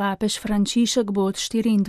Papež Frančišek bo od 24.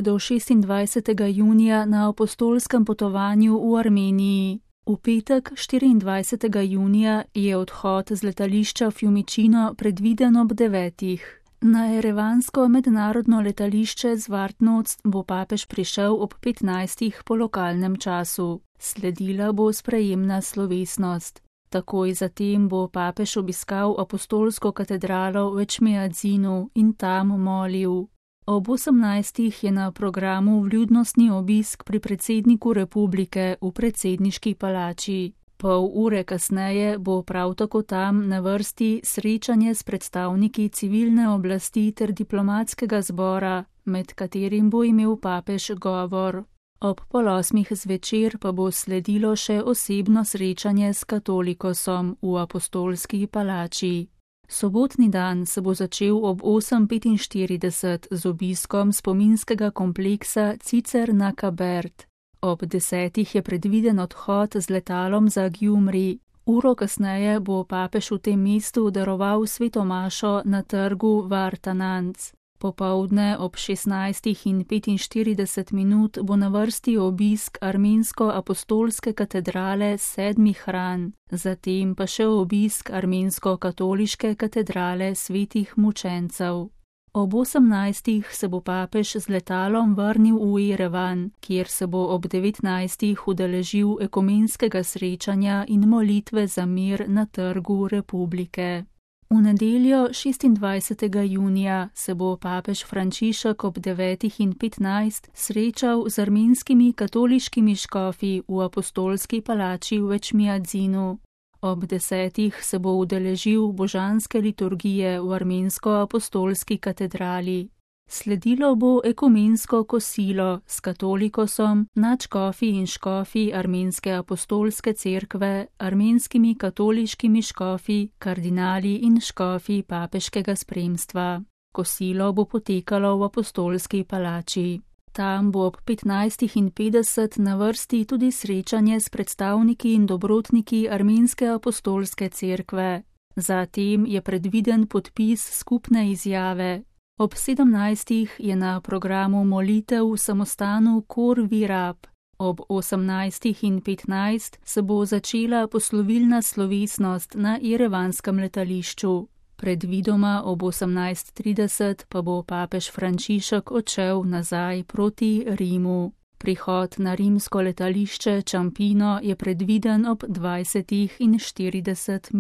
do 26. junija na apostolskem potovanju v Armeniji. V petek, 24. junija, je odhod z letališča Fiumicino predviden ob 9. Na erevansko mednarodno letališče Zvartnots bo papež prišel ob 15. po lokalnem času. Sledila bo sprejemna slovesnost. Takoj zatem bo papež obiskal apostolsko katedralo v Ečmiadzinu in tam molil. Ob 18. je na programu vljudnostni obisk pri predsedniku republike v predsedniški palači. Pol ure kasneje bo prav tako tam na vrsti srečanje s predstavniki civilne oblasti ter diplomatskega zbora, med katerim bo imel papež govor. Ob 7:30 zvečer pa bo sledilo še osebno srečanje s katolikosom v apostolski palači. Sobotni dan se bo začel ob 8:45 z obiskom spominskega kompleksa Cicerna Kabert. Ob 10. je predviden odhod z letalom za Gjumri. Uro kasneje bo papež v tem mestu daroval sveto mašo na trgu Vartananc. Popoldne ob 16:45 bo na vrsti obisk armensko-apostolske katedrale 7. hran, zatem pa še obisk armensko-katoliške katedrale svetih mučencev. Ob 18. se bo papež z letalom vrnil v Jerevan, kjer se bo ob 19. udeležil ekumenskega srečanja in molitve za mir na trgu republike. V nedeljo 26. junija se bo papež Frančišek ob 9:15 srečal z armenskimi katoliškimi škofi v apostolski palači v Ečmiadzinu. Ob 10. se bo udeležil božanske liturgije v armensko-apostolski katedrali. Sledilo bo ekumensko kosilo s katolikosom, nadškofi in škofi armenske apostolske cerkve, armenskimi katoliškimi škofi, kardinali in škofi papeškega spremstva. Kosilo bo potekalo v apostolski palači. Tam bo ob 15:50 na vrsti tudi srečanje s predstavniki in dobrotniki armenske apostolske cerkve. Zatem je predviden podpis skupne izjave. Ob 17. je na programu molitev v samostanu Kor Virab. Ob 18:15 se bo začela poslovilna slovesnost na jerevanskem letališču. Predvidoma ob 18:30 pa bo papež Frančišek odšel nazaj proti Rimu. Prihod na rimsko letališče Ciampino je predviden ob 20:40.